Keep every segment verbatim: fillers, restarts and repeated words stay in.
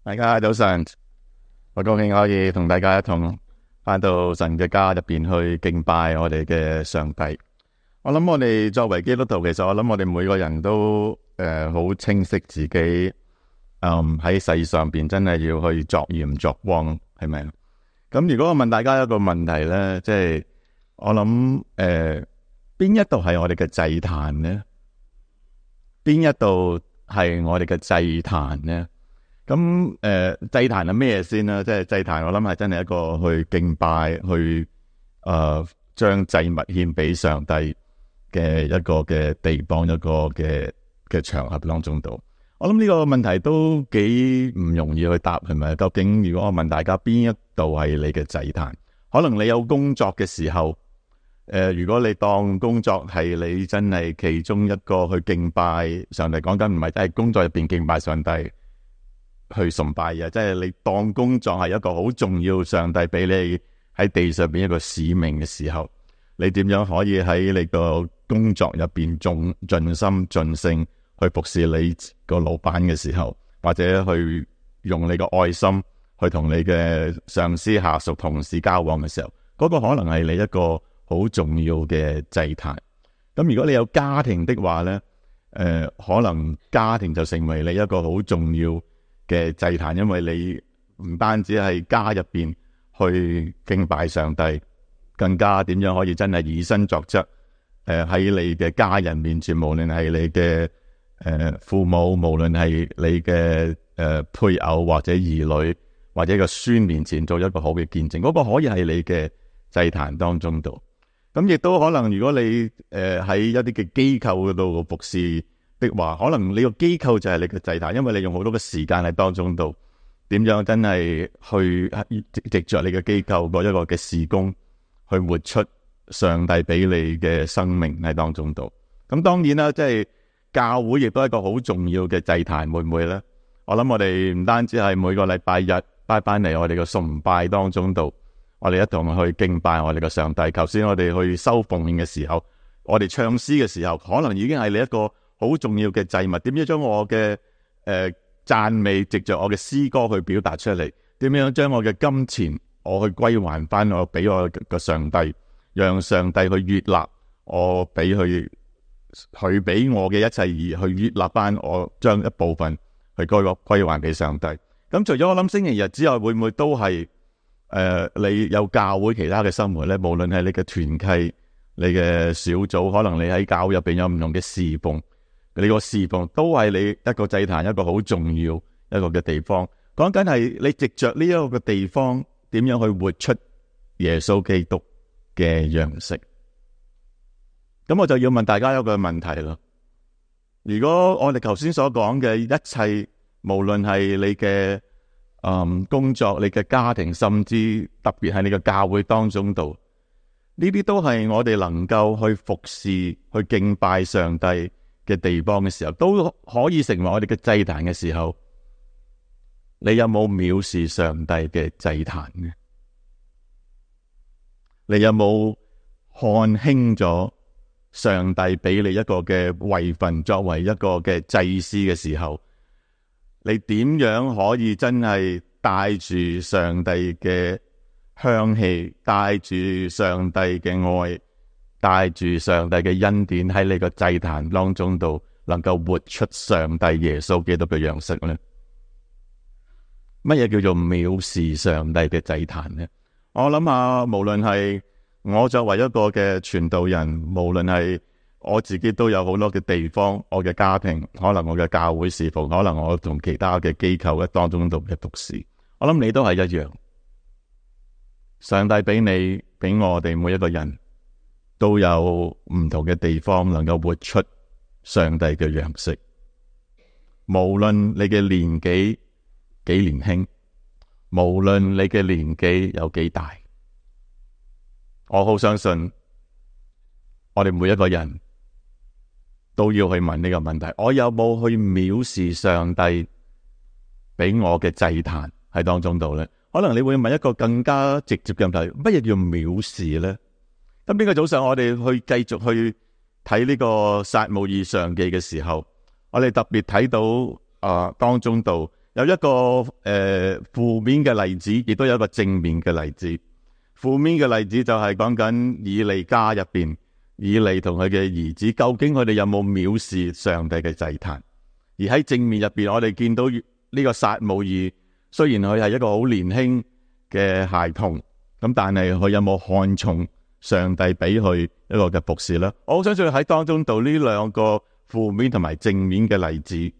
大家早晨，我高興可以同大家一同返到神嘅家入邊去敬拜我哋嘅上帝。我諗我哋作為基督徒，其實我諗我哋每個人都誒好、呃、清晰自己，嗯喺世上邊真係要去作鹽作光，係咪？咁如果我問大家一個問題咧，即係我諗誒邊一度係我哋嘅祭壇呢？邊一度係我哋嘅祭壇呢？咁誒、呃、祭壇係咩先啦？即係祭壇，我諗係真係一個去敬拜、去誒將祭物獻俾上帝嘅一個嘅地方，一個嘅嘅場合當中度。我諗呢個問題都幾唔容易去答，係咪？究竟如果我問大家邊一度係你嘅祭壇？可能你有工作嘅時候，誒、呃，如果你當工作係你真係其中一個去敬拜上帝，講緊唔係真係工作入邊敬拜上帝。去崇拜啊！即係你當工作係一個好重要，上帝俾你喺地上邊一個使命嘅時候，你點樣可以喺你個工作入邊盡盡心盡性去服侍你個老闆嘅時候，或者去用你個愛心去同你嘅上司、下屬、同事交往嘅時候，嗰個可能係你一個好重要嘅祭壇。咁如果你有家庭的話呢，誒、呃，可能家庭就成為你一個好重要嘅祭壇，因為你唔單止係家入邊去敬拜上帝，更加點樣可以真係以身作則。誒、呃、喺你嘅家人面前，無論係你嘅誒、呃、父母，無論係你嘅誒、呃、配偶或者兒女或者個孫面前做一個好嘅見證，嗰、那個可以係你嘅祭壇當中度。咁亦都可能，如果你誒喺、呃、一啲嘅機構嗰度服侍的話，可能你個機構就係你嘅祭壇，因為你用好多嘅時間喺當中度，點樣真係去藉着你嘅機構嗰一個嘅事工，去活出上帝俾你嘅生命喺當中度。咁當然啦，即係教會亦都係一個好重要嘅祭壇，會唔會呢？我諗我哋唔單止係每個禮拜日拜翻嚟我哋嘅崇拜當中度，我哋一同去敬拜我哋嘅上帝。頭先我哋去收奉獻嘅時候，我哋唱詩嘅時候，可能已經係你一個好重要嘅祭物。點樣將我嘅誒讚美藉着我嘅詩歌去表達出嚟？點樣將我嘅金錢我去歸還翻我俾我嘅上帝，讓上帝去悅納我俾佢佢俾我嘅一切，而去悅納翻我將一部分去歸歸還俾上帝。咁除咗我諗星期日之外，會唔會都係誒、呃、你有教會其他嘅生活呢？無論係你嘅團契、你嘅小組，可能你喺教會入邊有唔同嘅侍奉。你個侍奉都係你一個祭壇，一個好重要一個嘅地方。講緊係你藉着呢一個嘅地方，點樣去活出耶穌基督嘅樣式。咁我就要問大家一個問題啦。如果我哋頭先所講嘅一切，無論係你嘅嗯工作、你嘅家庭，甚至特別係你嘅教會當中度，呢啲都係我哋能夠去服侍、去敬拜上帝嘅地方嘅時候，都可以成為我哋嘅祭壇嘅時候，你有冇藐視上帝嘅祭壇呢？你有冇看輕咗上帝俾你一個嘅位份，作為一個嘅祭司嘅時候，你點樣可以真係帶住上帝嘅香氣，帶住上帝嘅愛，帶住上帝嘅恩典喺你個祭壇當中度，能夠活出上帝耶穌基督嘅樣式呢？乜嘢叫做藐視上帝嘅祭壇呢？我諗下，無論係我作為一個嘅傳道人，無論係我自己都有好多嘅地方，我嘅家庭，可能我嘅教會侍奉，可能我同其他嘅機構喺當中度嘅服侍，我諗你都係一樣。上帝俾你俾我哋每一個人都有唔同嘅地方，能夠活出上帝嘅樣式。無論你嘅年紀幾年輕，無論你嘅年紀有幾大，我好相信我哋每一個人都要去問呢個問題：我有冇去藐視上帝俾我嘅祭壇喺當中度呢？可能你會問一個更加直接嘅問題：乜嘢叫藐視呢？咁呢個早上我哋去繼續去睇呢個撒母耳上記嘅時候，我哋特別睇到啊、呃、當中度有一個誒、呃、負面嘅例子，亦都有一個正面嘅例子。負面嘅例子就係講緊以利家入邊，以利同佢嘅兒子，究竟佢哋有冇藐視上帝嘅祭壇？而喺正面入邊，我哋見到呢個撒母耳，雖然佢係一個好年輕嘅孩童，咁但係佢有冇看重上帝俾佢一個嘅服侍呢？我好相信喺當中度呢兩個負面同埋正面嘅例子，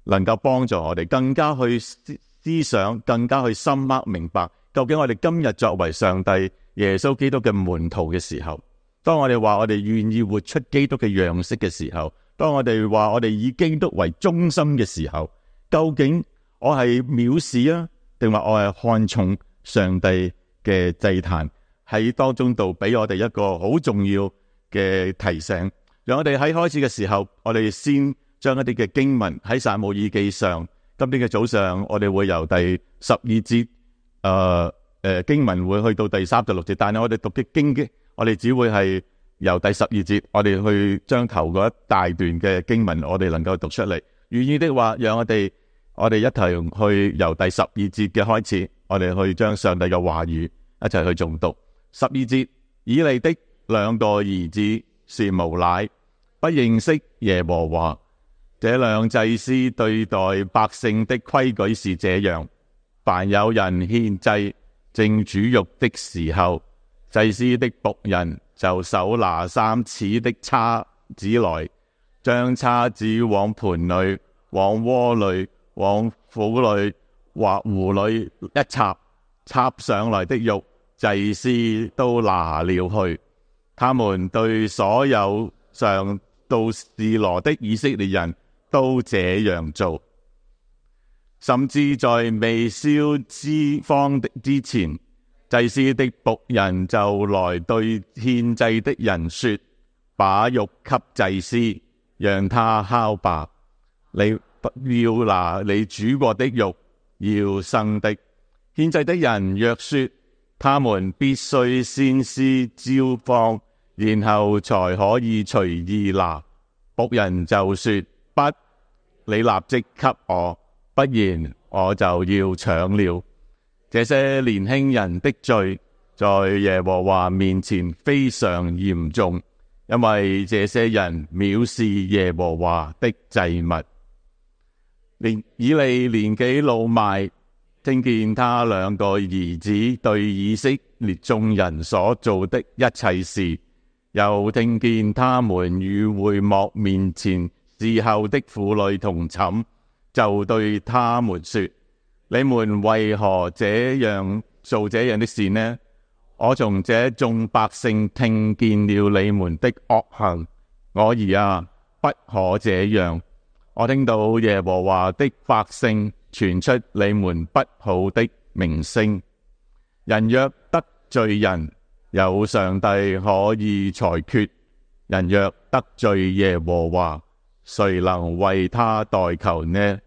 能夠幫助我哋更加去思想，更加去深刻明白，究竟我哋今日作為上帝耶穌基督嘅門徒嘅時候，當我哋話我哋願意活出基督嘅樣式嘅時候，當我哋話我哋以基督為中心嘅時候，究竟我係藐視啊，定話我係看重上帝嘅祭壇？喺當中度俾我哋一個好重要嘅提醒，讓我哋喺開始嘅時候，我哋先將一啲嘅經文喺撒母耳記上，今天嘅早上我哋會由第十二節誒誒、呃呃、經文會去到第三十六節，但係我哋讀嘅經嘅，我哋只會係由第十二節，我哋去將頭嗰一大段嘅經文，我哋能夠讀出嚟。願意的話，讓我哋我哋一齊去由第十二節嘅開始，我哋去將上帝嘅話語一齊去誦讀。十二節，以利的兩個兒子是無賴，不認識耶和華。這兩祭司對待百姓的規矩是這樣：凡有人獻祭正煮肉的時候，祭司的僕人就手拿三齒的叉子來，將叉子往盤裏、往鍋裏、往釜裏或壺裏一插，插上來的肉，祭司都拿了去。他們對所有上到示羅的以色列人都這樣做，甚至在未燒脂肪的之前，祭司的僕人就來對獻祭的人說：把肉給祭司，讓他烤吧。你不要拿你煮過的肉，要生的。獻祭的人若說他們必須先施焦肪，然後才可以隨意拿，僕人就說：不，你立即給我，不然我就要搶了。這些年輕人的罪在耶和華面前非常嚴重，因為這些人藐視耶和華的祭物。連以利年紀老邁，聽見他兩個兒子對以色列眾人所做的一切事，又聽見他們與會幕面前侍候的婦女同寢，就對他們說：你們為何這樣做這樣的事呢？我從這眾百姓聽見了你們的惡行，我兒啊，不可這樣。我聽到耶和華的百姓傳出你們不好的名聲。人若得罪人，有上帝可以裁決；人若得罪耶和華，誰能為他代求呢？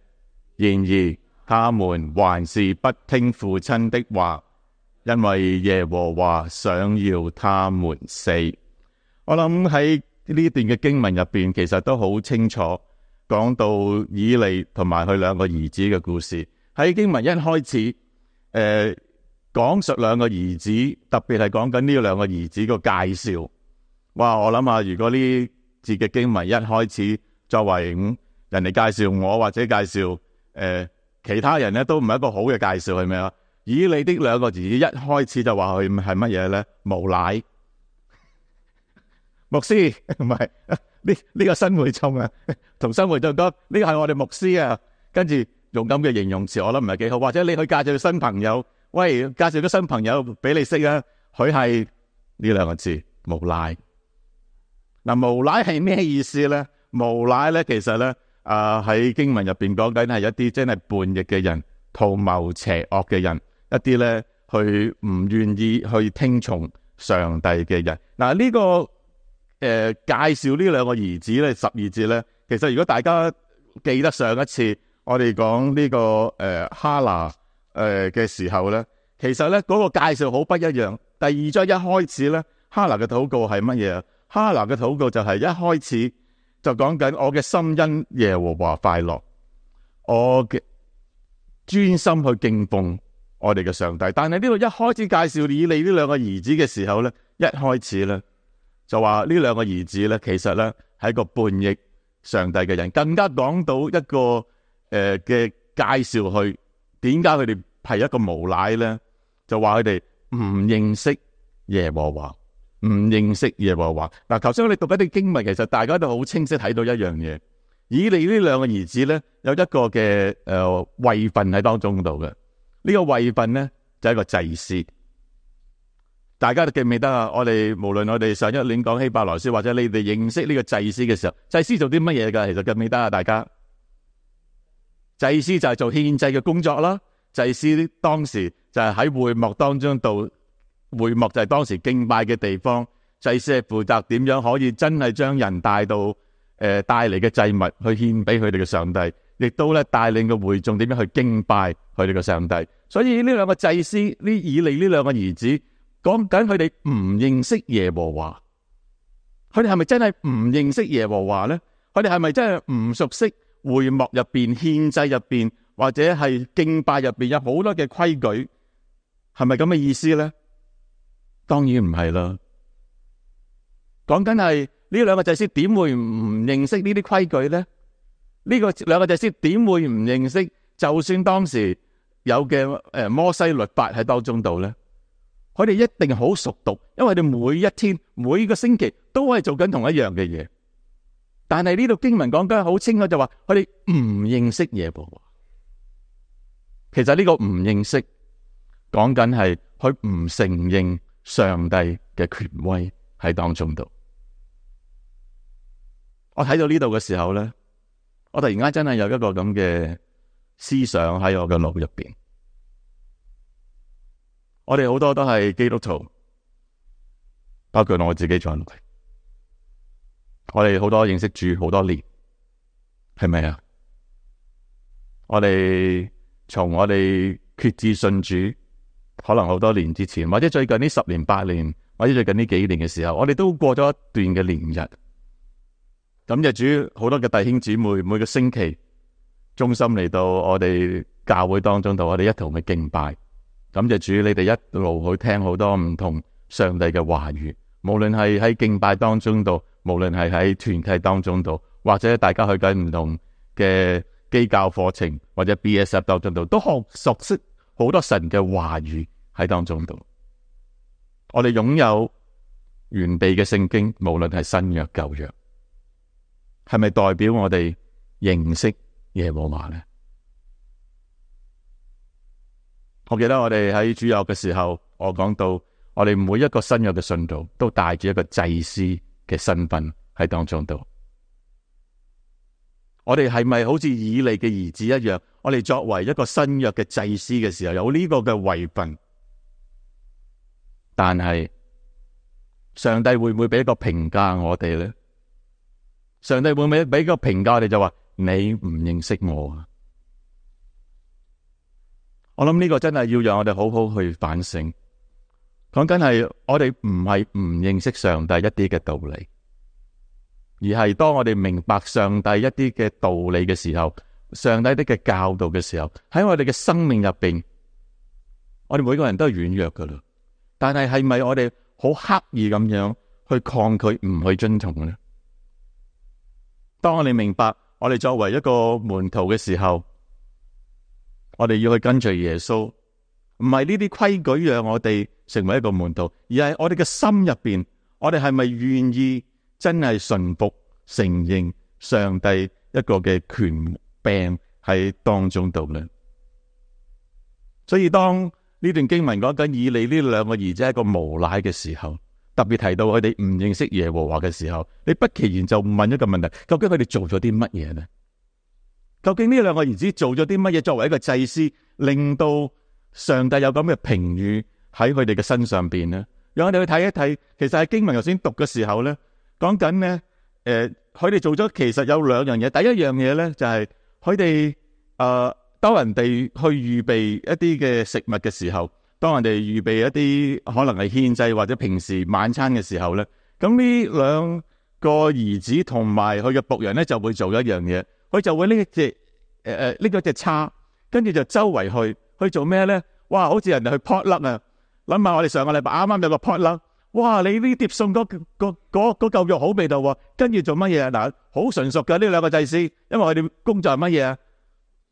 然而他們還是不聽父親的話，因為耶和華想要他們死。我諗喺呢段嘅經文入邊，其實都好清楚講到以利同埋佢兩個兒子嘅故事。喺經文一開始，誒、呃、講述兩個兒子，特別係講緊呢兩個兒子個介紹。哇！我諗下，如果呢節嘅經文一開始作為咁人哋介紹我，或者介紹誒、呃、其他人咧，都唔係一個好嘅介紹，係咪啊？以利的兩個兒子一開始就話佢係乜嘢咧？無賴牧師，唔係呢呢個新會眾啊，同新會眾講呢個係我哋牧師啊，跟住用咁嘅形容詞，我諗唔係幾好。或者你去介紹新朋友，喂，介紹咗新朋友俾你識啊，佢係呢兩個字無賴。嗱、呃，無賴係咩意思咧？無賴咧，其實咧，啊、呃、喺經文入邊講緊係一啲真係叛逆嘅人，圖謀邪惡嘅人，一啲咧去唔願意去聽從上帝嘅人。嗱、呃，呢、這個。誒、呃，介紹呢兩個兒子咧，十二節咧，其實如果大家記得上一次我哋講呢個誒、呃、哈拿誒嘅時候咧，其實咧嗰、那個介紹好不一樣。第二章一開始咧，哈拿嘅禱告係乜嘢啊？哈拿嘅禱告就係一開始就講緊我嘅心因耶和華快樂，我嘅專心去敬奉我哋嘅上帝。但係呢度一開始介紹以利呢兩個兒子嘅時候咧，一開始咧就話呢兩個兒子咧，其實咧係一個叛逆上帝嘅人，更加講到一個誒嘅、呃、介紹去點解佢哋係一個無賴咧，就話佢哋唔認識耶和華，唔認識耶和華。嗱，頭先我哋讀一啲經文，其實大家都好清晰睇到一樣嘢，以利呢兩個兒子咧有一個嘅誒位份喺當中度嘅，呢、這個位份咧就係、是、一個祭司。大家都記唔記得啊？我哋無論我哋上一年講希伯來書，或者你哋認識呢個祭司嘅時候，祭司做啲乜嘢噶？其實記唔記得啊？大家，祭司就係做獻祭嘅工作啦。祭司當時就係喺會幕當中度，會幕就係當時敬拜嘅地方。祭司係負責點樣可以真係將人帶到誒帶嚟嘅祭物去獻俾佢哋嘅上帝，亦都咧帶領個會眾點樣去敬拜佢哋嘅上帝。所以呢兩個祭司，呢以利呢兩個兒子，講緊佢哋唔認識耶和華。佢哋係咪真係唔認識耶和華咧？佢哋係咪真係唔熟悉會幕入邊、獻祭入邊或者係敬拜入邊有好多嘅規矩？係咪咁嘅意思咧？當然唔係啦。講緊係呢兩個祭司點會唔認識呢啲規矩咧？呢個兩個祭司點會唔認識？就算當時有嘅誒摩西律法喺當中度咧，佢哋一定好熟讀，因為佢哋每一天、每個星期都係做緊同一樣嘅嘢。但係呢度經文講緊好清楚，就話佢哋唔認識耶和華。其實呢個唔認識，講緊係佢唔承認上帝嘅權威喺當中度。我睇到呢度嘅時候咧，我突然間真係有一個咁嘅思想喺我嘅腦入邊。我哋好多都係基督徒，包括我自己在內。我哋好多認識主好多年，係咪啊？我哋從我哋決志信主，可能好多年之前，或者最近呢十年八年，或者最近呢幾年嘅時候，我哋都過咗一段嘅年日。感謝主，好多嘅弟兄姊妹每個星期忠心嚟到我哋教會當中度，我哋一同去敬拜。感謝主，你哋一路去聽好多唔同上帝嘅話語，無論係喺敬拜當中度，無論係喺團契當中度，或者大家去緊唔同嘅基教課程或者 B S F 當中度，都學熟悉好多神嘅話語喺當中度。我哋擁有完備嘅聖經，無論係新約舊約，係咪代表我哋認識耶和華呢？我記得我哋喺主日嘅時候，我講到我哋每一個新約嘅信徒都帶住一個祭司嘅身份喺當中度。我哋係咪好似以利嘅兒子一樣？我哋作為一個新約嘅祭司嘅時候，有呢個嘅位份，但係上帝會唔會俾一個評價我哋呢？上帝會唔會俾個評價我哋，就話你唔認識我啊？我諗呢個真係要讓我哋好好去反省。講緊係我哋唔係唔認識上帝一啲嘅道理，而係當我哋明白上帝一啲嘅道理嘅時候，上帝啲嘅教導嘅時候，喺我哋嘅生命入邊，我哋每個人都係軟弱噶啦。但係係咪我哋好刻意咁樣去抗拒，唔去遵從呢？當我哋明白我哋作為一個門徒嘅時候，我哋要去跟隨耶穌，唔係呢啲規矩讓我哋成為一個門徒，而係我哋嘅心入邊，我哋係咪願意真係順服承認上帝一個嘅權柄喺當中度呢？所以當呢段經文講緊以利呢兩個兒子係一個無賴嘅時候，特別提到佢哋唔認識耶和華嘅時候，你不其然就問一個問題：究竟佢哋做咗啲乜嘢呢？究竟呢兩個兒子做咗啲乜嘢？作為一個祭司，令到上帝有咁嘅評語喺佢哋嘅身上邊呢？讓我哋去睇一睇。其實喺經文頭先讀嘅時候呢，講緊呢，誒、呃，佢哋做咗其實有兩樣嘢。第一樣嘢呢，就係佢哋誒，當人哋去預備一啲嘅食物嘅時候，當人哋預備一啲可能係獻祭或者平時晚餐嘅時候呢，咁呢兩個兒子同埋佢嘅僕人呢，就會做一樣嘢。佢就會拎一隻誒誒，拎咗隻叉，跟住就周圍去去做咩咧？哇！好似人哋去 potluck 啊！諗下我哋上個禮拜啱啱有個 potluck，哇！你呢碟餸嗰嗰嗰嗰嚿肉好味道喎，跟住做乜嘢啊？嗱，好純熟嘅呢兩個祭司，因為佢哋工作係乜嘢啊？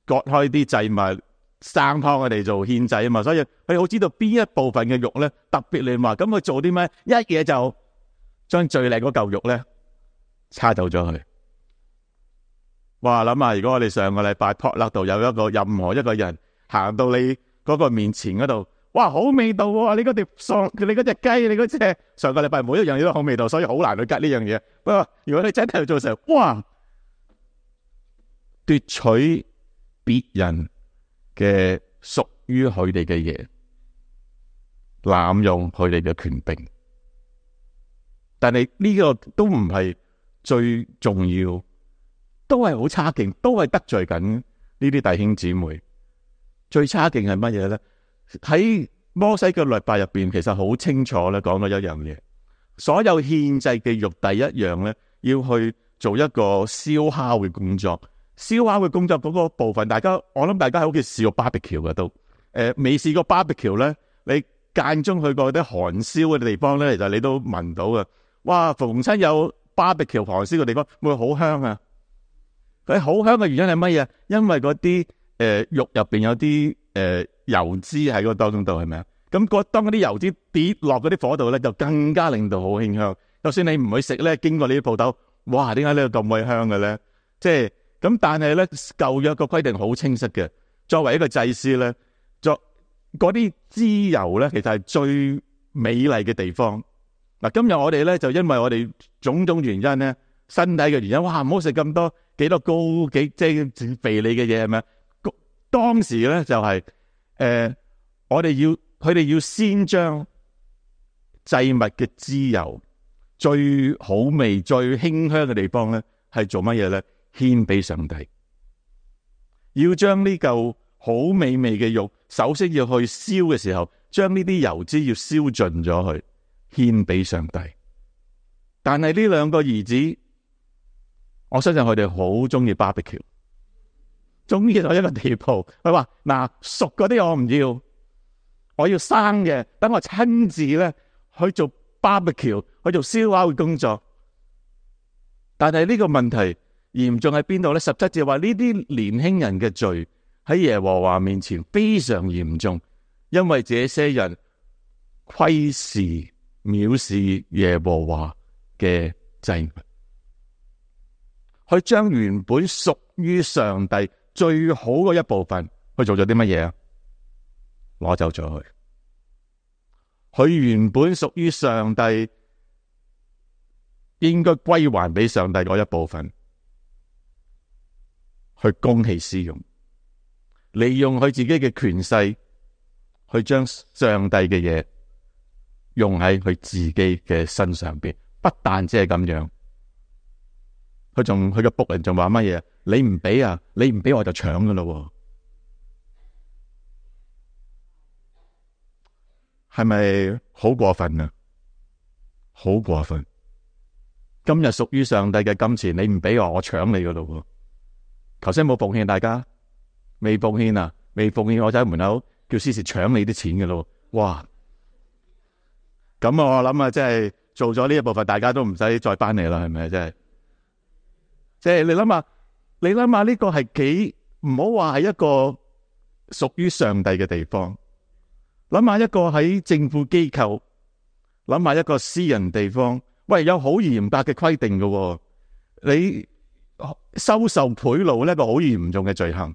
割開啲祭物，生湯佢哋做獻祭啊嘛，所以佢哋好知道邊一部分嘅肉咧特別嫩滑，咁佢做啲咩？一嘢就將最靚嗰嚿肉咧叉走咗佢。哇！諗下如果我哋上個禮拜 potluck 度有一個任何一個人行到你嗰個面前嗰度，哇！好味道喎！你嗰碟餸，你嗰隻雞，你嗰隻上個禮拜每一樣嘢都好味道，所以好難去吉呢樣嘢。不過如果你真係做成，哇！奪取別人嘅屬於佢哋嘅嘢，濫用佢哋嘅權柄，但係呢個都唔係最重要，都係好差勁，都係得罪緊呢啲弟兄姊妹。最差勁係乜嘢咧？喺摩西嘅律法入邊，其實好清楚咧，講咗一樣嘢，所有獻祭嘅肉，第一樣咧，要去做一個燒烤嘅工作。燒烤嘅工作嗰個部分，大家我諗大家喺屋企試過 barbecue 嘅都，誒、呃、未試過 barbecue 咧，你間中去過啲韓燒嘅地方咧，其實你都聞到嘅。哇！逢親有 barbecue 韓燒嘅地方，會好香啊！佢好香嘅原因係乜嘢？因為嗰啲誒肉入邊有啲誒、呃、油脂喺個當中度，係咪啊？咁嗰當嗰啲油脂跌落嗰啲火度咧，就更加令到好馨香。就算你唔去食咧，經過呢啲鋪頭，哇！點解呢度咁鬼香嘅咧？即係。咁但係咧，舊約個規定好清晰嘅。作為一個祭司咧，作嗰啲脂油咧，其實係最美麗嘅地方。嗱，今日我哋咧就因為我哋種種原因咧，身體嘅原因，哇，唔好食咁多幾多高幾即係肥膩嘅嘢，係咪啊？當時咧就係、是、誒、呃，我哋要佢哋要先將祭物嘅脂油最好味、最馨香嘅地方咧，係做乜嘢咧？獻俾上帝，要將呢嚿好美味嘅肉，首先要去燒嘅時候，將呢啲油脂要燒盡咗去，獻俾上帝。但係呢兩個兒子，我相信佢哋好中意 barbecue， 中意到一個地步，佢話嗱，熟嗰啲我唔要，我要生嘅，等我親自咧去做 barbecue， 去做燒烤嘅工作。但係呢個問題嚴重喺邊度咧？十七節話呢啲年輕人嘅罪喺耶和華面前非常嚴重，因為這些人窺視藐視耶和華嘅祭物，佢將原本屬於上帝最好嘅一部分，佢做咗啲乜嘢啊？攞走咗佢，佢原本屬於上帝應該歸還俾上帝嗰一部分，去公器私用，利用佢自己嘅權勢，去將上帝嘅嘢用喺佢自己嘅身上邊。不但只係咁樣，佢仲佢嘅僕人仲話乜嘢？你唔俾啊，你唔俾我就搶噶咯，係咪好過分啊？好過分！今日屬於上帝嘅金錢，你唔俾我，我搶你噶咯。頭先冇奉獻，大家未奉獻啊？未奉獻，我就喺門口叫司事搶你啲錢嘅咯。哇！咁我諗啊，即係做咗呢一部分，大家都唔使再翻嚟啦，係咪？真係，即係你諗下，你諗下呢個係幾唔好話係一個屬於上帝嘅地方。諗下一個喺政府機構，諗下一個私人地方，喂，有好嚴格嘅規定嘅，你。收受賄賂呢個好嚴重嘅罪行，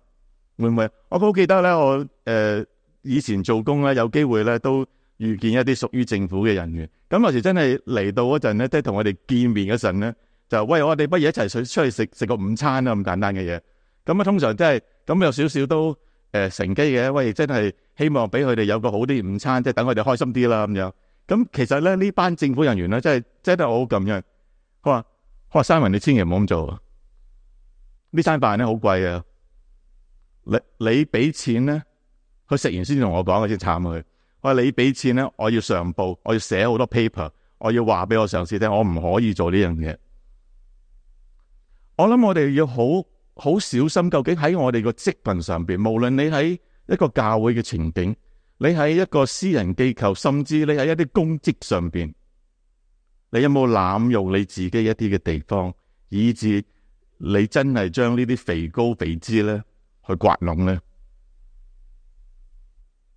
會唔會？我好記得咧，我誒、呃、以前做工咧，有機會咧都遇見一啲屬於政府嘅人員。咁有時真係嚟到嗰陣咧，即係同我哋見面嗰陣咧，就喂，我哋不如一齊出出去食食個午餐啊，咁簡單嘅嘢。咁啊，通常真係咁有少少都誒、呃、乘機嘅。喂，真係希望俾佢哋有個好啲午餐，即係等佢哋開心啲啦咁樣。咁其實咧呢班政府人員咧，真係真係好咁樣。佢話：佢話Simon，你千祈唔好咁做。呢餐飯咧好貴啊！你你俾錢咧，佢食完先同我講，佢先慘佢。我話你俾錢咧，我要上報，我要寫好多 paper， 我要話俾我上司聽，我唔可以做呢樣嘢。我諗我哋要好好小心，究竟喺我哋個職份上邊，無論你喺一個教會嘅情景，你喺一個私人機構，甚至你喺一啲公職上邊，你有冇濫用你自己一啲嘅地方，以致你真係將呢啲肥膏肥脂咧去刮弄咧？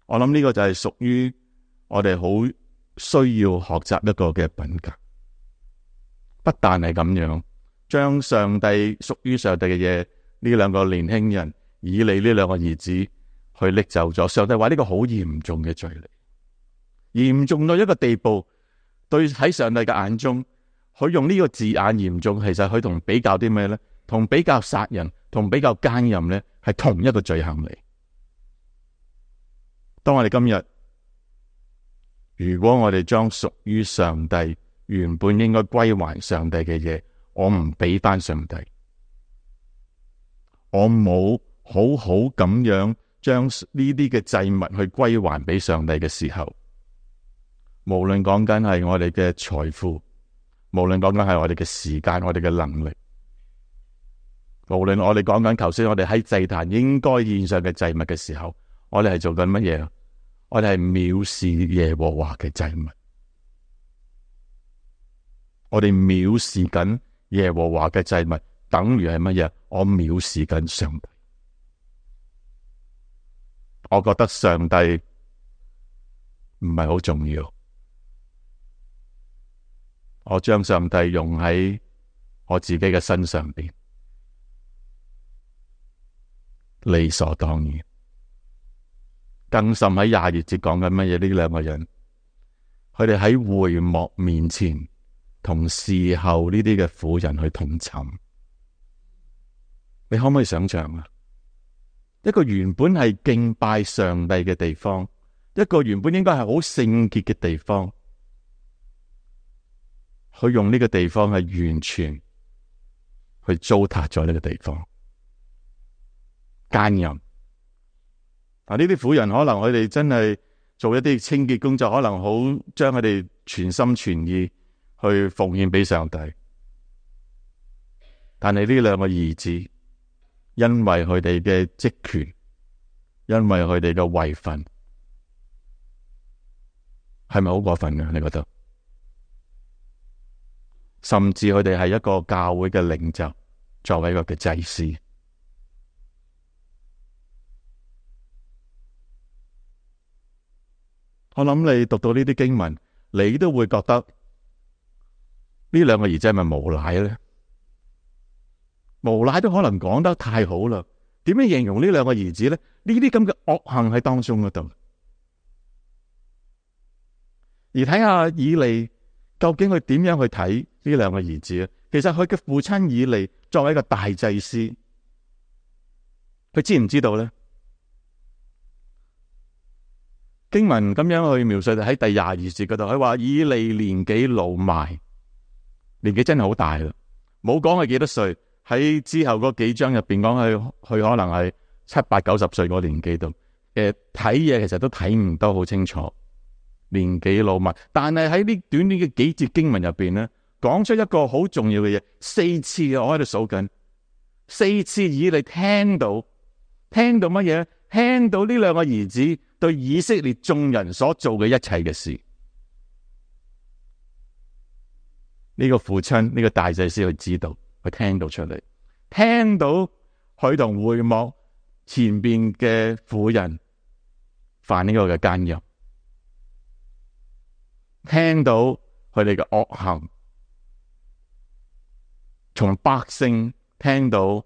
我諗呢個就係屬於我哋好需要學習一個嘅品格。不但係咁樣，將上帝屬於上帝嘅嘢，呢兩個年輕人以利呢兩個兒子去拎走咗。上帝話呢個好嚴重嘅罪嚟，嚴重到一個地步，對喺上帝嘅眼中，佢用呢個字眼嚴重，其實佢同比較啲咩咧？同比較殺人，同比較奸淫咧，係同一個罪行嚟。當我哋今日，如果我哋將屬於上帝原本應該歸還上帝嘅嘢，我唔俾翻上帝，我冇好好咁樣將呢啲嘅祭物去歸還俾上帝嘅時候，無論講緊係我哋嘅財富，無論講緊係我哋嘅時間，我哋嘅能力，無論我哋講緊頭先我哋喺祭壇應該獻上嘅祭物嘅時候，我哋係做緊乜嘢？我哋係藐視耶和華嘅祭物，我哋藐視緊耶和華嘅祭物，等於係乜嘢？我藐視緊上帝。我覺得上帝唔係好重要，我將上帝用喺我自己嘅身上邊，理所當然。更甚喺廿二節講緊乜嘢？呢兩個人，佢哋喺會幕面前同侍候呢啲嘅婦人去同寢，你可唔可以想象啊？一個原本係敬拜上帝嘅地方，一個原本應該係好聖潔嘅地方，佢用呢個地方係完全去糟蹋咗呢個地方，奸淫。嗱，呢啲婦人可能佢哋真係做一啲清潔工作，可能好將佢哋全心全意去奉獻俾上帝。但係呢兩個兒子，因為佢哋嘅職權，因為佢哋嘅位份，係咪好過分嘅？你覺得？甚至佢哋係一個教會嘅領袖，作為一個嘅祭司。我諗你讀到呢啲經文，你都會覺得呢兩個兒子係咪無賴咧？無賴都可能講得太好啦。點樣形容呢兩個兒子咧？呢啲咁嘅惡行喺當中嗰度。而睇下以利究竟佢點樣去睇呢兩個兒子啊？其實佢嘅父親以利作為一個大祭司，佢知唔知道咧？經文咁樣去描述，喺第廿二節嗰度，佢話以利年紀老邁，年紀真係好大啦，冇講係幾多歲。喺之後嗰幾章入邊講佢，佢可能係七八九十歲嗰年紀度，誒睇嘢其實都睇唔到好清楚，年紀老邁。但係喺呢短短嘅幾節經文入邊咧，講出一個好重要嘅嘢，四次我喺度數緊，四次以利聽到，聽到乜嘢？聽到呢兩個兒子對以色列眾人所做嘅一切嘅事，呢個父親，呢個大祭司佢知道，佢聽到出嚟，聽到佢同會幕前邊嘅婦人犯呢個嘅奸淫，聽到佢哋嘅惡行，從百姓聽到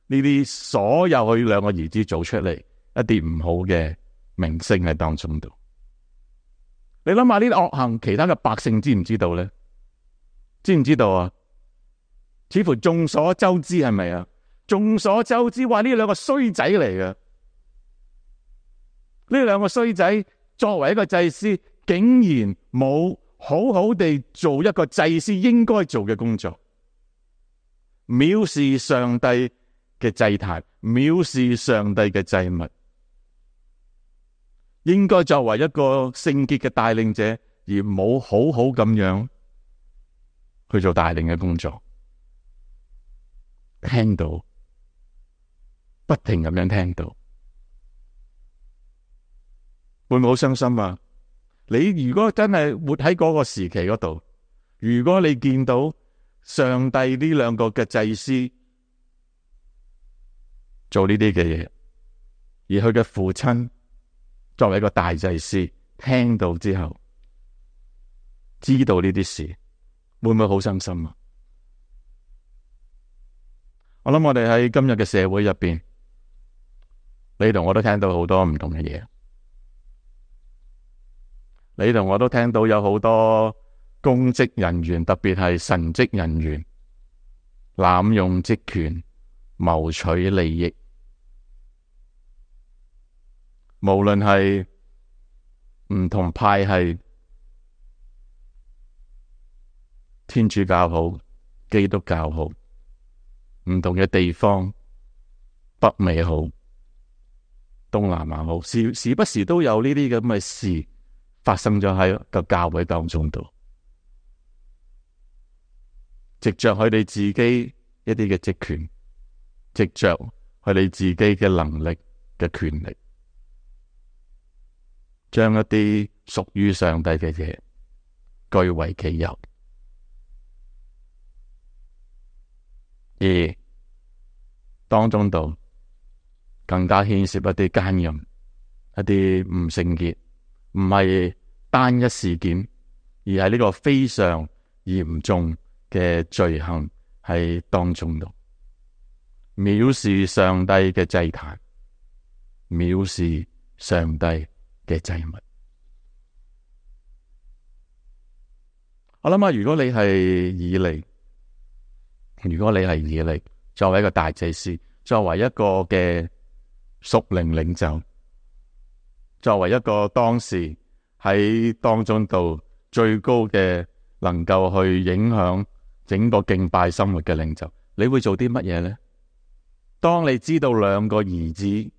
呢啲所有佢兩個兒子做出嚟一啲唔好嘅名聲喺當中度。你諗下呢啲惡行，其他嘅百姓知唔知道咧？知唔知道啊？似乎眾所周知，係咪啊？眾所周知話呢兩個衰仔嚟嘅，呢兩個衰仔作為一個祭司，竟然冇好好地做一個祭司應該做嘅工作，藐視上帝嘅祭壇，藐視上帝嘅祭物。應該作為一個聖潔嘅帶領者，而冇好好咁樣去做帶領嘅工作。聽到不停咁樣聽到，會唔會好傷心啊？你如果真係活喺嗰個時期嗰度，如果你見到上帝呢兩個嘅祭司做呢啲嘅嘢，而佢嘅父親作為一個大祭司聽到之後，知道呢啲事，會唔會好傷心啊？我諗我哋喺今日嘅社會入邊，你同我都聽到好多唔同嘅嘢，你同我都聽到有好多公職人員，特別係神職人員濫用職權謀取利益，無論係唔同派系，天主教好，基督教好，唔同嘅地方，北美好，東南亞好，時時不時都有呢啲咁嘅事發生咗喺個教會當中度，藉着佢哋自己一啲嘅職權，藉着佢哋自己嘅能力嘅權力，將一啲屬於上帝嘅嘢據為己有，而當中度更加牽涉一啲奸淫，一啲唔聖潔，唔係單一事件，而係呢個非常嚴重嘅罪行喺當中度，藐視上帝嘅祭壇，藐視上帝嘅祭物。我諗下，如果你係以利，如果你係以利，作為一個大祭司，作為一個嘅屬靈領袖，作為一個當時喺當中度最高嘅能夠去影響整個敬拜生活嘅領袖，你會做啲乜嘢呢？當你知道兩個兒子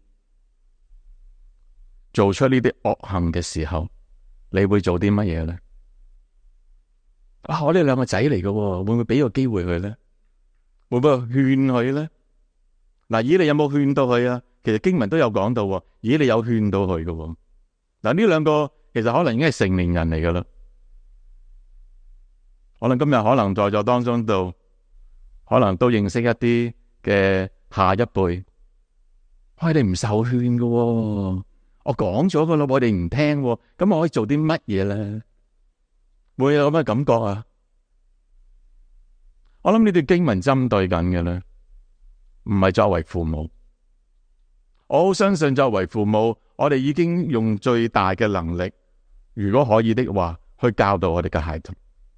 做出呢啲惡行嘅時候，你會做啲乜嘢呢？啊，我呢兩個仔嚟嘅，會唔會俾個機會佢呢？會唔會勸佢呢？嗱，以利有冇勸到佢啊？其實經文都有講到，以利有勸到佢嘅。嗱，呢兩個其實可能已經係成年人嚟噶啦，可能今日可能在座當中度，可能都認識一啲嘅下一輩，我哋唔受勸嘅，我講咗噶啦，我哋唔聽，咁我可以做啲乜嘢咧？會有咁嘅感覺啊？我諗呢段經文針對緊嘅咧，唔係作為父母。我好相信作為父母，我哋已經用最大嘅能力，如果可以的話，去教導我哋嘅孩童，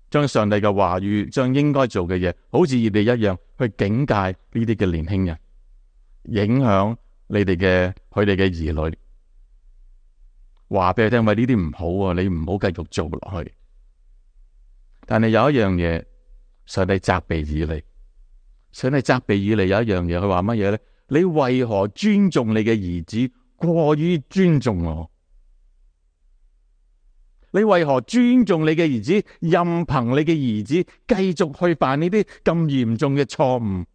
將上帝嘅話語，將應該做嘅嘢，好似你哋一樣，去警戒呢啲嘅年輕人，影響你哋嘅佢哋嘅兒女，話俾佢聽，喂，呢啲唔好啊，你唔好繼續做落去。但係有一樣嘢，上帝責備以利，上帝責備以利有一樣嘢，佢話乜嘢咧？你為何尊重你嘅兒子過於尊重我？你為何尊重你嘅兒子，任憑你嘅兒子繼續去犯呢啲咁嚴重嘅錯誤，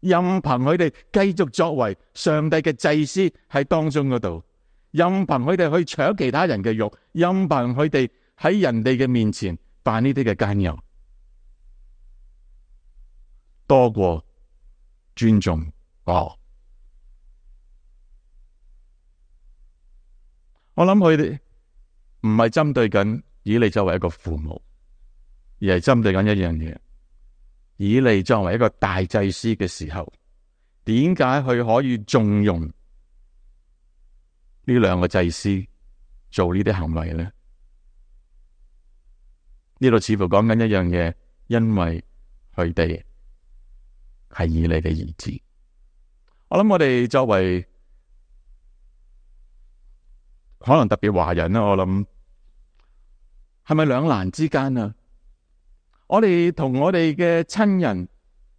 任憑佢哋繼續作為上帝嘅祭司喺當中嗰度，任憑佢哋去搶其他人嘅肉，任憑佢哋喺人哋嘅面前犯呢啲嘅奸淫，多過尊重我。我諗佢哋唔係針對緊以利作為一個父母，而係針對緊一樣嘢。以利作為一個大祭司嘅時候，點解佢可以縱容呢兩個祭司做呢啲行為呢？呢度似乎講緊一樣嘢，因為佢哋係以利嘅兒子。我諗我哋作為可能特別華人啦，我諗係咪兩難之間啊？我哋同我哋嘅親人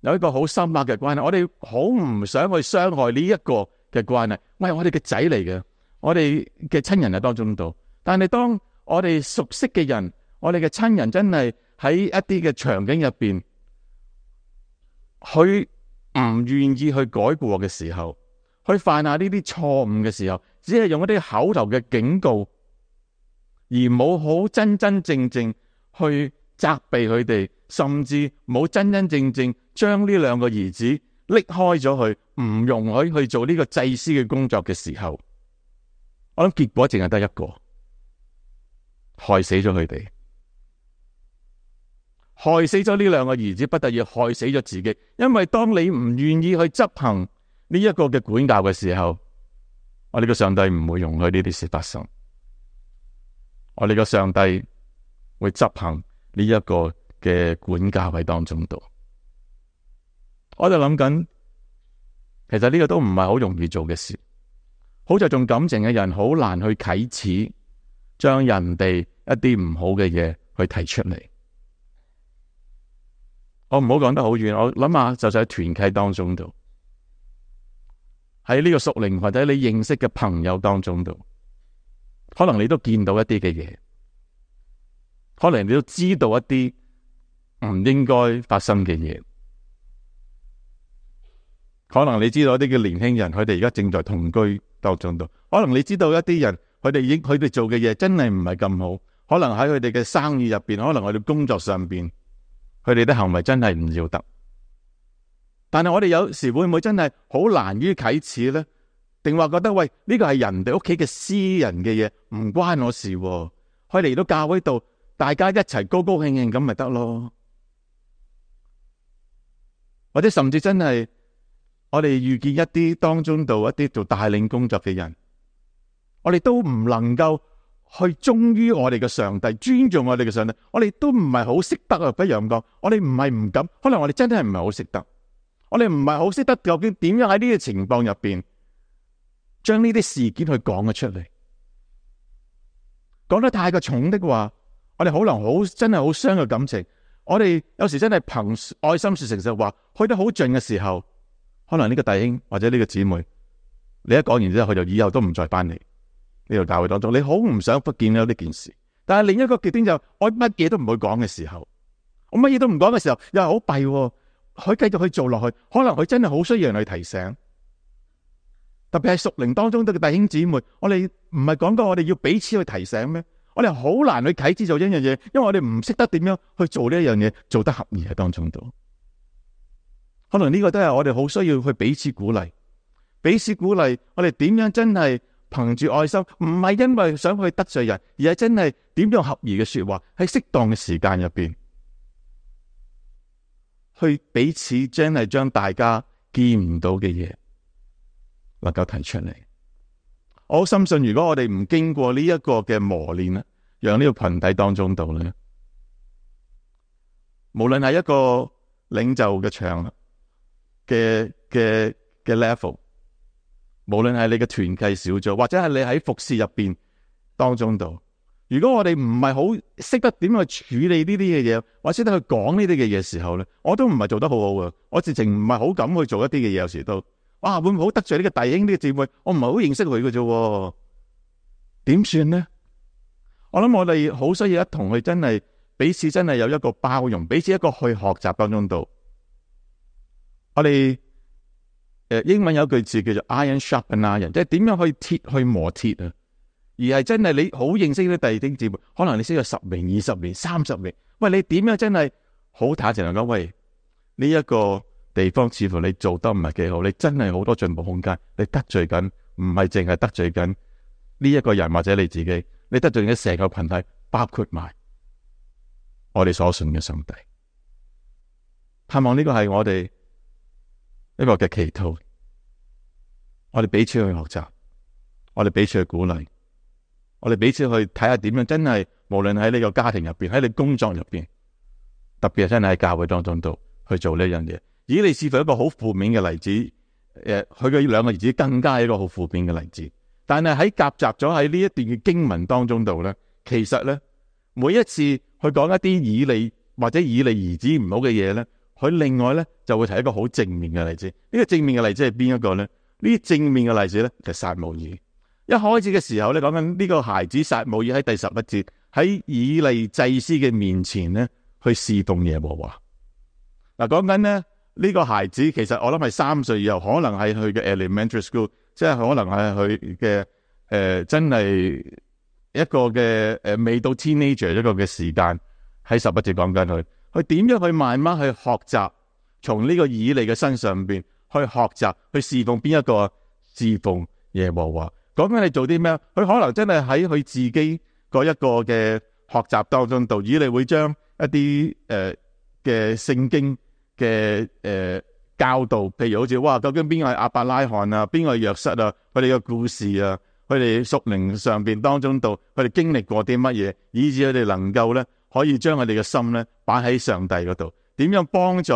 有一個好深刻嘅關係，我哋好唔想去傷害呢一個嘅關係。喂，我哋嘅仔嚟嘅，我哋嘅親人喺當中度。但係當我哋熟悉嘅人，我哋嘅親人真係喺一啲嘅場景入邊，佢唔願意去改過嘅時候，去犯下呢啲錯誤嘅時候，只係用一啲口頭嘅警告，而冇好真真正正去責備佢哋，甚至冇真真正正將呢兩個兒子拎開咗去，唔容許去做呢個祭司嘅工作嘅時候，我諗結果淨係得一個，害死咗佢哋，害死咗呢兩個兒子，不得已害死咗自己。因為當你唔願意去執行呢一個嘅管教嘅時候，我哋嘅上帝唔會容許呢啲事發生。我哋嘅上帝會執行呢一個嘅管教喺當中度。我就諗緊，其實呢個都唔係好容易做嘅事。好着重感情嘅人，好難去啟齒，將人哋一啲唔好嘅嘢去提出嚟。我唔好講得好遠，我諗下，就喺團契當中度，喺呢個屬靈或者你認識嘅朋友當中度，可能你都見到一啲嘅嘢，可能你都知道一啲唔應該發生嘅嘢。可能你知道一啲嘅年輕人，佢哋而家正在同居當中度。可能你知道一啲人，佢哋已經佢哋做嘅嘢真係唔係咁好。可能喺佢哋嘅生意入邊，可能佢哋工作上邊，佢哋啲行為真係唔要得。但係我哋有時會唔會真係好難於啟齒呢？定話覺得喂，呢個係人哋屋企嘅私人嘅嘢，唔關我事喎。佢嚟到教會度，大家一齊高高興興咁咪得咯。或者甚至真係我哋遇見一啲當中度一啲做帶領工作嘅人，我哋都唔能夠去忠於我哋嘅上帝，尊重我哋嘅上帝。我哋都唔係好識得啊，不如咁講，我哋唔係唔敢，可能我哋真係唔係好識得。我哋唔係好識得究竟點樣喺呢個情況入邊，將呢啲事件去講咗出嚟。講得太過重的話，我哋可能好真係好傷嘅感情。我哋有時真係憑愛心說誠實話，去得好盡嘅時候，可能呢個弟兄或者呢個姊妹，你一講完之後，佢就以後都唔再翻嚟呢個教會當中。你好唔想不見到呢件事，但係另一個極端就我乜嘢都唔會講嘅時候，我乜嘢都唔講嘅時候，又係好弊喎。佢繼續去做落去，可能佢真係好需要人去提醒。特別係屬靈當中嘅弟兄姊妹，我哋唔係講過我哋要彼此去提醒咩？我哋好難去啟齒做一樣嘢，因為我哋唔識得點樣去做呢一樣嘢，做得合宜喺當中度。可能呢個都係我哋好需要去彼此鼓勵，彼此鼓勵。我哋點樣真係憑住愛心，唔係因為想去得罪人，而係真係點樣合宜嘅說話，喺適當嘅時間入邊，去彼此真係將大家見唔到嘅嘢能夠提出嚟。我好深信，如果我哋唔經過呢一個嘅磨練咧，讓呢個群體當中度咧，無論係一個領袖嘅場嘅嘅嘅 level， 無論係你嘅團契小組，或者係你喺服侍入邊當中度，如果我哋唔係好識得點去處理呢啲嘅嘢，或者識得去講呢啲嘅嘢時候咧，我都唔係做得好好嘅。我直情唔係好敢去做一啲嘅嘢，有時都哇會唔會好得罪呢個弟兄呢個姊妹？我唔係好認識佢嘅啫，點算呢？我諗我哋好需要一同去真係彼此真係有一個包容，彼此一個去學習當中度。我哋誒英文有句字叫做 iron sharpen iron， 即係點樣去鐵去磨鐵啊？而係真係你好認識啲弟兄姊妹，可能你識咗十年、二十年、三十年，喂，你點樣真係好坦誠嚟講，喂，呢一個地方似乎你做得唔係幾好，你真係好多進步空間，你得罪緊，唔係淨係得罪緊呢一個人或者你自己，你得罪緊成個群體，包括埋我哋所信嘅上帝。盼望呢個係我哋一個嘅祈禱，我哋彼此去學習，我哋彼此去鼓勵。我哋彼此去睇下點樣真係，無論喺你個家庭入邊，喺你工作入邊，特別係真係喺教會當中度去做呢樣嘢。以利是乎一個好負面嘅例子，誒，佢嘅兩個兒子更加係一個好負面嘅例子。但係喺夾雜咗喺呢一段嘅經文當中度咧，其實咧每一次去講一啲以利或者以利兒子唔好嘅嘢咧，佢另外咧就會提一個好正面嘅例子。呢、這個正面嘅例子係邊一個咧？呢啲正面嘅例子咧就係撒母耳。一開始嘅時候咧，講緊呢個孩子撒母耳喺第十一節喺以利祭司嘅面前咧，去侍奉耶和華。嗱，講緊咧呢個孩子其實我諗係三歲以後，可能係去嘅 elementary school，即係可能係佢嘅誒真係一個嘅誒、呃、未到 teenager 一個嘅時間，喺十一節講緊佢，佢點樣去慢慢去學習，從呢個以利嘅身上邊去學習去侍奉邊一個？侍奉耶和華。講緊你做啲咩？佢可能真係喺佢自己嗰一個嘅學習當中度，以利會將一啲誒嘅聖經嘅誒、呃、教導，譬如好似哇，究竟邊個係亞伯拉罕啊，邊個係約瑟啊，佢哋嘅故事啊，佢哋屬靈上邊當中度，佢哋經歷過啲乜嘢，以致佢哋能夠咧可以將佢哋嘅心咧擺喺上帝嗰度，點樣幫助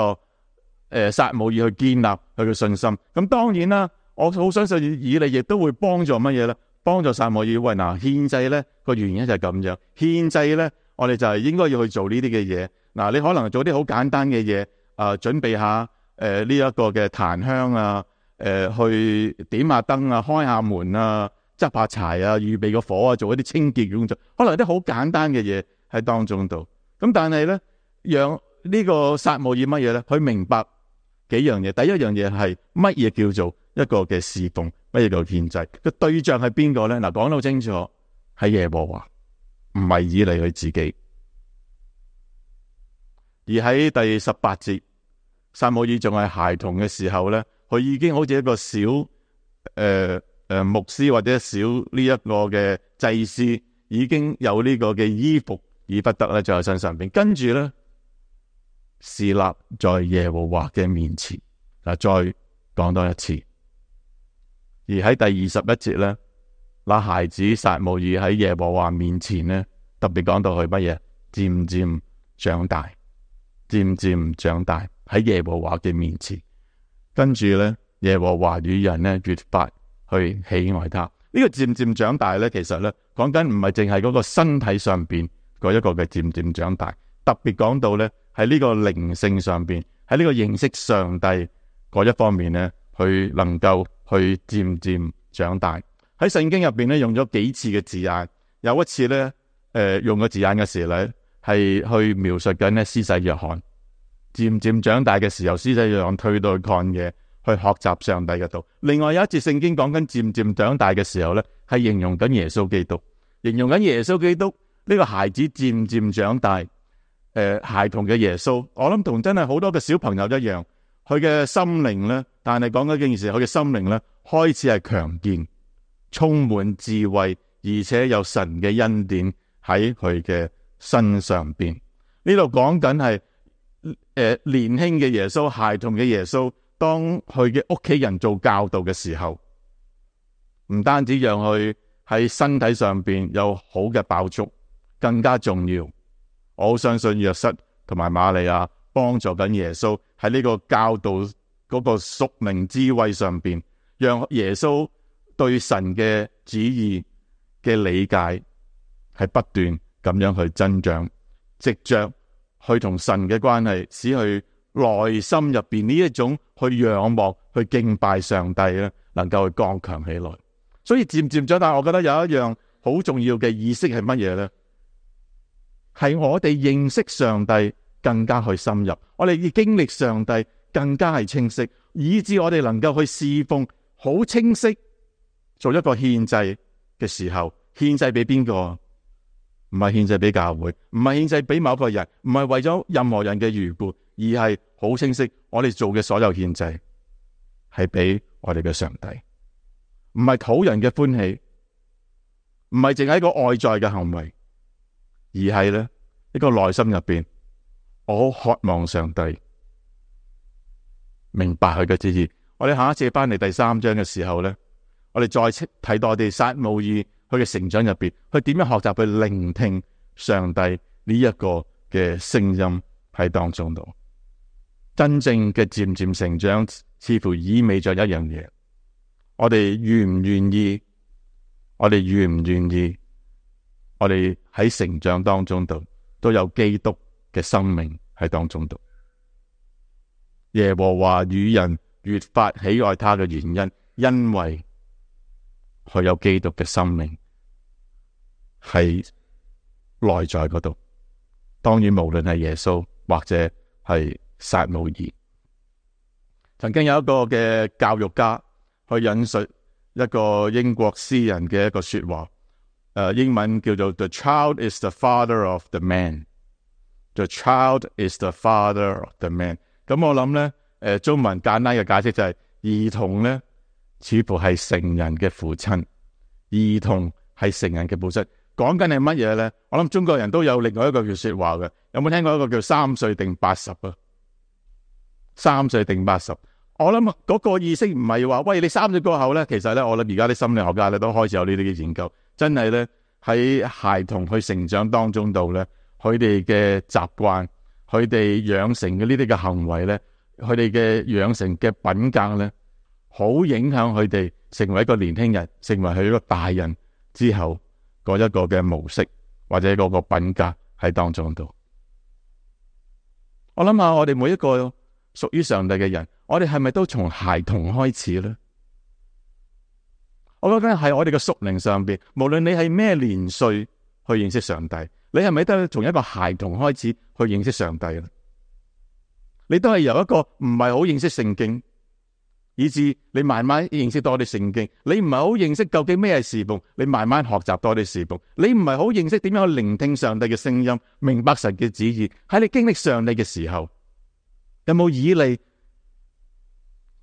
誒撒母耳去建立佢嘅信心。咁當然啦。我好相信以利亦都會幫助乜嘢咧？幫助撒母耳。喂，嗱，獻祭咧個原因就係咁樣。獻祭咧，我哋就係應該要去做呢啲嘅嘢。嗱，你可能做啲好簡單嘅嘢，啊、呃，準備下誒呢一個嘅檀香啊，誒、呃、去點下燈啊，開下門啊，執下柴啊，預備個火啊，做一啲清潔嘅工作。可能有啲好簡單嘅嘢喺當中度。咁但係咧，讓呢個撒母耳乜嘢咧？佢明白幾樣嘢。第一樣嘢係乜嘢叫做一個嘅侍奉，乜嘢叫獻祭？個對象係邊個咧？嗱，講到清楚，係耶和華，唔係以利佢自己。而喺第十八節，撒母耳仲係孩童嘅時候咧，佢已經好似一個小誒誒、呃、牧師或者小呢一個嘅祭司，已經有呢個嘅衣服以不得咧，在身上邊。跟住咧，侍立在耶和華嘅面前。嗱，再講多一次。而喺第二十一節咧，那孩子撒母耳喺耶和華面前咧，特別講到佢乜嘢？漸漸長大，漸漸長大喺耶和華嘅面前。跟住咧，耶和華與人咧越發去喜愛他。呢、這個漸漸長大咧，其實咧講緊唔係淨係嗰個身體上邊嗰一個嘅漸漸長大，特別講到咧喺呢個靈性上邊，喺呢個認識上帝嗰一方面咧，佢能夠去漸漸長大。喺聖經入邊咧用咗幾次嘅字眼，有一次咧誒、呃、用個字眼嘅時候咧係去描述緊咧施洗約翰漸漸長大嘅時候，施洗約翰退到去曠野去學習上帝嘅道。另外有一節聖經講緊漸漸長大嘅時候咧，係形容緊耶穌基督，形容緊耶穌基督呢、這個孩子漸漸長大，誒、呃、孩童嘅耶穌。我諗同真係好多嘅小朋友一樣，佢嘅心靈咧，但係講緊件事，佢嘅心靈咧開始係強健，充滿智慧，而且有神嘅恩典喺佢嘅身上邊。呢度講緊係誒年輕嘅耶穌，孩童嘅耶穌，當佢嘅屋企人做教導嘅時候，唔單止讓佢喺身體上邊有好嘅飽足，更加重要，我好相信約瑟同埋瑪利亞幫助緊耶穌喺呢個教導嗰個屬靈智慧上邊，讓耶穌對神嘅旨意嘅理解係不斷咁樣去增長，藉着去同神嘅關係，使佢內心入邊呢一種去仰望、去敬拜上帝咧，能夠去剛強起來。所以漸漸長大，我覺得有一樣好重要嘅意識係乜嘢呢？係我哋認識上帝更加去深入，我哋要經歷上帝更加係清晰，以致我哋能夠去侍奉好清晰，做一個獻祭嘅時候，獻祭俾邊個？唔係獻祭俾教會，唔係獻祭俾某個人，唔係為咗任何人嘅緣故，而係好清晰，我哋做嘅所有獻祭係俾我哋嘅上帝，唔係討人嘅歡喜，唔係淨係一個外在嘅行為，而係咧一個內心入邊，我好渴望上帝明白佢嘅旨意。我哋下一次翻嚟第三章嘅時候咧，我哋再睇多啲撒母耳佢嘅成長入邊，佢點樣學習去聆聽上帝呢一個嘅聲音喺當中度。真正嘅漸漸成長，似乎意味着一樣嘢，我哋願唔願意？我哋願唔願意？我哋喺成長當中度都有基督嘅生命喺當中度。耶和華與人越發喜愛他嘅原因，因為佢有基督嘅生命喺內在嗰度。當然無論係耶穌或者係撒母耳，曾經有一個嘅教育家去引述一個英國詩人嘅一個說話，誒、呃，英文叫做 The child is the father of the man。The child is the father of the man。咁我諗咧，誒、呃，中文簡單嘅解釋就係、是、兒童咧，似乎係成人嘅父親。兒童係成人嘅父親，講緊係乜嘢咧？我諗中國人都有另外一個叫說話嘅，有冇聽過一個叫三歲定八十啊？三歲定八十？我諗嗰個意識唔係話，喂，你三歲過後咧，其實咧，我諗而家啲心理學家咧都開始有呢啲嘅研究，真係咧喺孩童去成長當中度咧，佢哋嘅習慣，佢哋養成嘅呢啲嘅行為咧，佢哋嘅養成嘅品格咧，好影響佢哋成為一個年輕人，成為佢一個大人之後嗰一個嘅模式或者嗰個品格喺當中度。我諗下，我哋每一個屬於上帝嘅人，我哋係咪都從孩童開始呢？我覺得係我哋嘅屬靈上邊，無論你係咩年歲去認識上帝，你係咪都從一個孩童開始去認識上帝呢？你都係由一個唔係好認識聖經，以至你慢慢認識多啲聖經。你唔係好認識究竟咩係侍奉，你慢慢學習多啲侍奉。你唔係好認識點樣去聆聽上帝嘅聲音，明白神嘅旨意。喺你經歷上帝嘅時候，有冇以利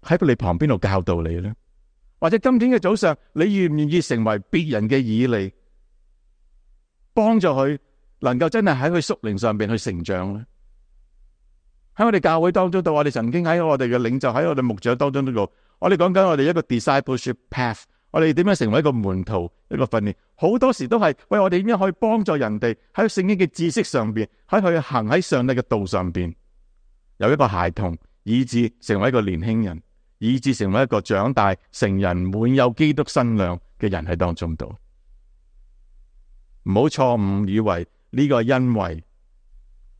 喺你旁邊度教導你呢？或者今天嘅早上，你願唔願意成為別人嘅以利，幫助佢能夠真係喺佢屬靈上邊去成長呢？喺我哋教會當中度，我哋曾經喺我哋嘅領袖，喺我哋牧長當中都講，我哋講緊我哋一個 discipleship path， 我哋點樣成為一個門徒，一個訓練，好多時都係喂，我哋點樣可以幫助人哋喺聖經嘅知識上邊，喺佢行喺上帝嘅道上邊，由一個孩童以至成為一個年輕人，以至成為一個長大成人滿有基督身量嘅人喺當中度。唔好錯誤以為呢個因為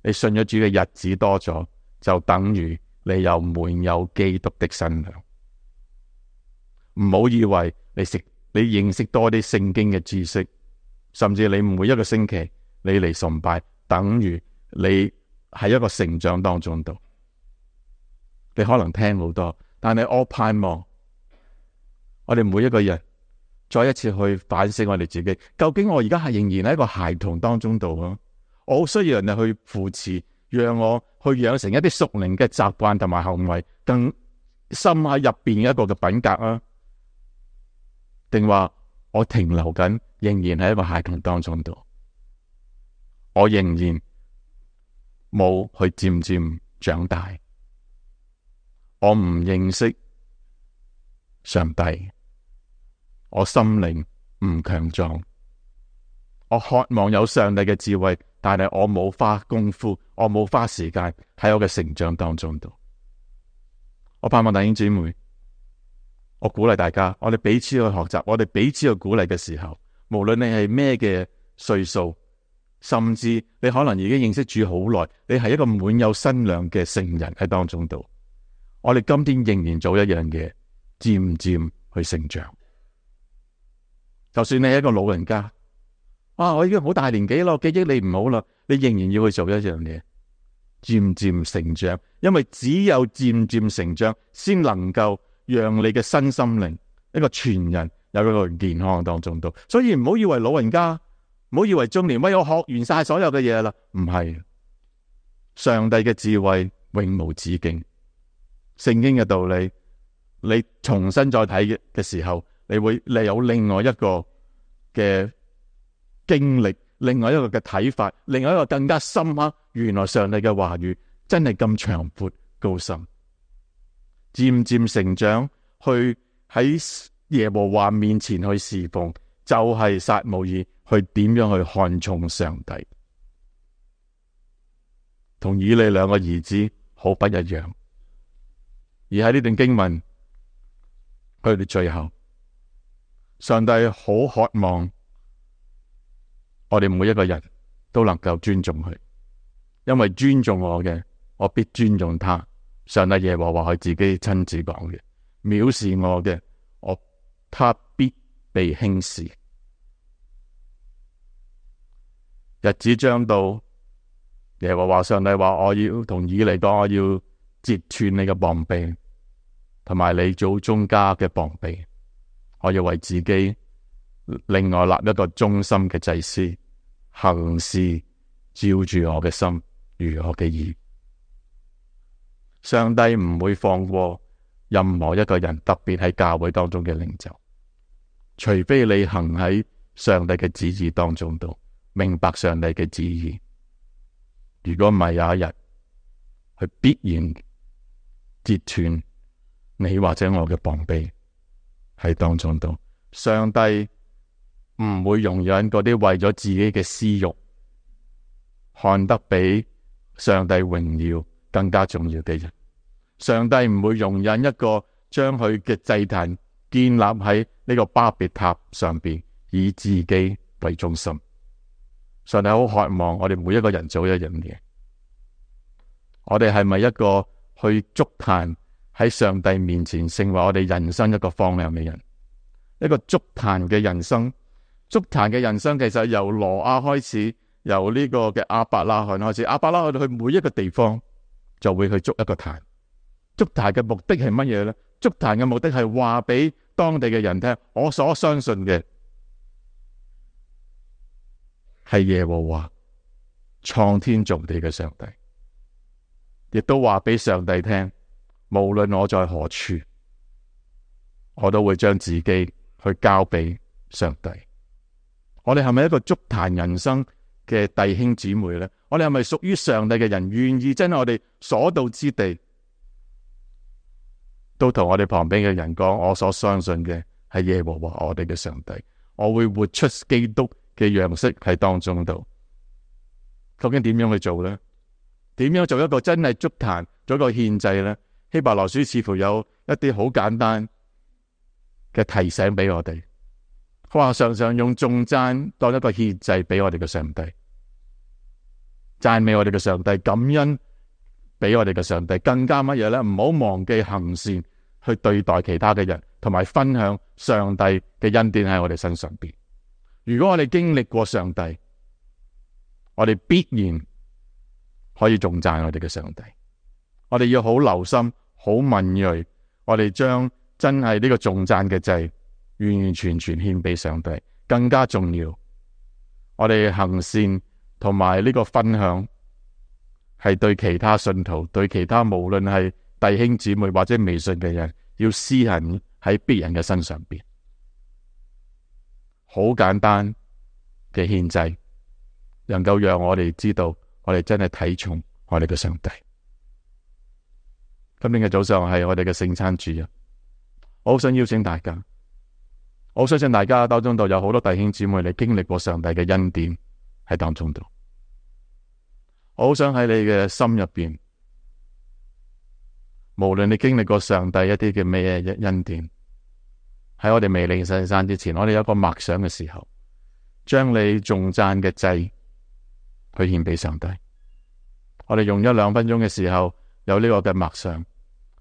你信咗主嘅日子多咗，就等於你有滿有基督的身量。唔好以為你識你認識多啲聖經嘅知識，甚至你每一個星期你嚟崇拜，等於你喺一個成長當中度。你可能聽好多，但係我盼望我哋每一個人再一次去反省我哋自己，究竟我而家係仍然喺一個孩童當中度啊？我好需要人哋去扶持，讓我去養成一啲屬靈嘅習慣同埋行為，更深喺入邊嘅一個嘅品格啊？定話我停留緊，仍然喺一個孩童當中度，我仍然冇去漸漸長大，我唔認識上帝，我心靈唔強壯，我渴望有上帝嘅智慧，但係我冇花功夫，我冇花時間喺我嘅成長當中度。我盼望弟兄姊妹，我鼓勵大家，我哋彼此去學習，我哋彼此去鼓勵嘅時候，無論你係咩嘅歲數，甚至你可能已經認識主好耐，你係一個滿有身量嘅聖人喺當中度，我哋今天仍然做一樣嘢，漸漸去成長。就算你係一個老人家，啊，我已經好大年紀咯，記憶力唔好啦，你仍然要去做一樣嘢，漸漸成長，因為只有漸漸成長，先能夠讓你嘅身心靈一個全人有一個健康當中度。所以唔好以為老人家，唔好以為中年，喂，我學完晒所有嘅嘢啦，唔係。上帝嘅智慧永無止境，聖經嘅道理，你重新再睇嘅時候，你會你有另外一個嘅經歷，另外一個嘅睇法，另外一個更加深刻。原來上帝嘅話語真係咁長闊高深，漸漸成長，去喺耶和華面前去侍奉，就係撒母耳去點樣去看重上帝，同以利兩個兒子好不一樣。而喺呢段經文，佢哋最後，上帝好渴望我哋每一個人都能夠尊重佢，因為尊重我嘅，我必尊重他。上帝耶和華佢自己親自講嘅，藐視我嘅，我他必被輕視。日子將到，耶和華上帝話，我要同以利講，我要截斷你嘅膀臂，同埋你祖宗家嘅膀臂。我要為自己另外立一個忠心嘅祭司，行事照住我嘅心，如我嘅意。上帝唔會放過任何一個人，特別喺教會當中嘅領袖，除非你行喺上帝嘅旨意當中度，明白上帝嘅旨意。如果唔係，有一日佢必然截斷你或者我嘅膀臂喺當中度。上帝唔會容忍嗰啲為咗自己嘅私欲，看得比上帝榮耀更加重要嘅人。上帝唔會容忍一個將佢嘅祭壇建立喺呢個巴別塔上邊，以自己為中心。上帝好渴望我哋每一個人做一樣嘢。我哋係咪一個去築壇喺上帝面前成為我哋人生一個方向嘅人？一個築壇嘅人生，築壇嘅人生其實由挪亞開始，由呢個嘅亞伯拉罕開始。亞伯拉罕去每一個地方就會去築一個壇。築壇嘅目的係乜嘢呢？築壇嘅目的係話俾當地嘅人聽，我所相信嘅係耶和華創天造地嘅上帝，亦都話俾上帝聽，無論我在何處，我都會將自己去交俾上帝。我哋係咪一個築壇人生嘅弟兄姊妹呢？我哋係咪屬於上帝嘅人，願意真係我哋所到之地都同我哋旁邊嘅人講，我所相信嘅係耶和華我哋嘅上帝。我會活出基督嘅樣式喺當中度。究竟點樣去做呢？點樣做一個真係築壇，做一個獻祭呢？希伯來書似乎有一啲好簡單嘅提醒俾我哋。佢話常常用頌讚當一個獻祭俾我哋嘅上帝，讚美我哋嘅上帝，感恩俾我哋嘅上帝，更加乜嘢呢？唔好忘記行善去對待其他嘅人，同埋分享上帝嘅恩典喺我哋身上邊。如果我哋經歷過上帝，我哋必然可以頌讚我哋嘅上帝。我哋要好留心，好敏銳，我哋將真係呢個頌讚嘅祭完完全全獻俾上帝。更加重要，我哋行善同埋呢個分享係對其他信徒，對其他無論係弟兄姊妹或者未信嘅人，要施行喺別人嘅身上邊。好簡單嘅獻祭，能夠讓我哋知道我哋真係睇重我哋嘅上帝。今天嘅早上係我哋嘅聖餐主日，我好想邀請大家，我相信大家當中度有好多弟兄姊妹，你經歷過上帝嘅恩典喺當中度。我好想喺你嘅心入邊，無論你經歷過上帝一啲嘅咩恩典，喺我哋未領聖餐之前，我哋有一個默想嘅時候，將你頌讚嘅祭去獻俾上帝。我哋用一兩分鐘嘅時候，有呢個嘅默想，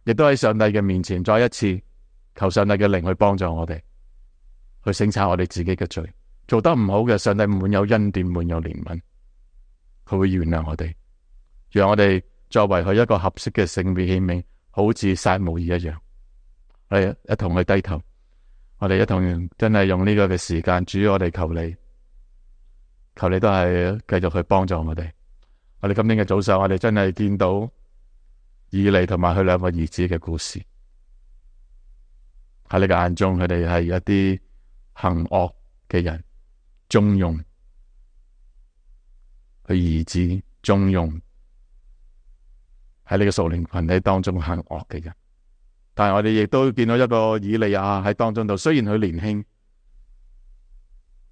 亦都喺上帝嘅面前再一次求上帝嘅靈去幫助我哋，去省察我哋自己嘅罪，做得唔好嘅，上帝滿有恩典，滿有憐憫，佢會原諒我哋，讓我哋作為佢一個合適嘅聖別器皿，好似撒母耳一樣。我哋一同去低頭，我哋一同真係用呢個嘅時間，主我哋求你，求你都係繼續去幫助我哋。我哋今天嘅早上，我哋真係見到以利同埋佢兩個兒子嘅故事。喺你嘅眼中，佢哋係一啲行惡嘅人，縱容佢兒子，縱容喺呢個屬靈群體當中行惡嘅人。但係我哋亦都見到一個以利亞喺當中度，雖然佢年輕，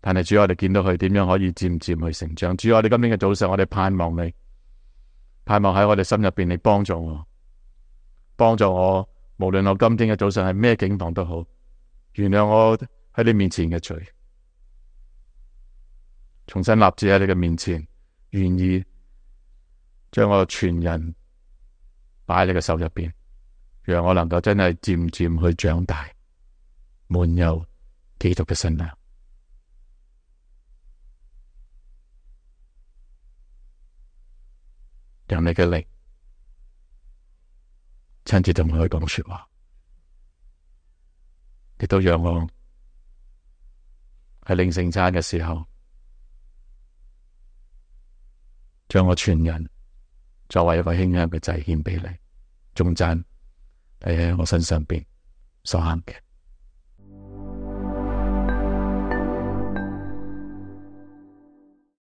但係主我哋見到佢點樣可以漸漸去成長。主我哋今天嘅早上，我哋盼望你，盼望喺我哋心入邊，你幫助我，幫助我，無論我今天嘅早上係咩境況都好，原諒我喺你面前嘅罪，重新立志喺你嘅面前，願意將我全人擺喺你嘅手入邊，讓我能夠真係漸漸去長大，滿有基督嘅身量。讓你嘅靈親自同我去講說話，亦都讓我喺領聖餐嘅時候，將我全人作為一個馨香嘅祭獻俾你，頌讚你喺我身上邊所行嘅。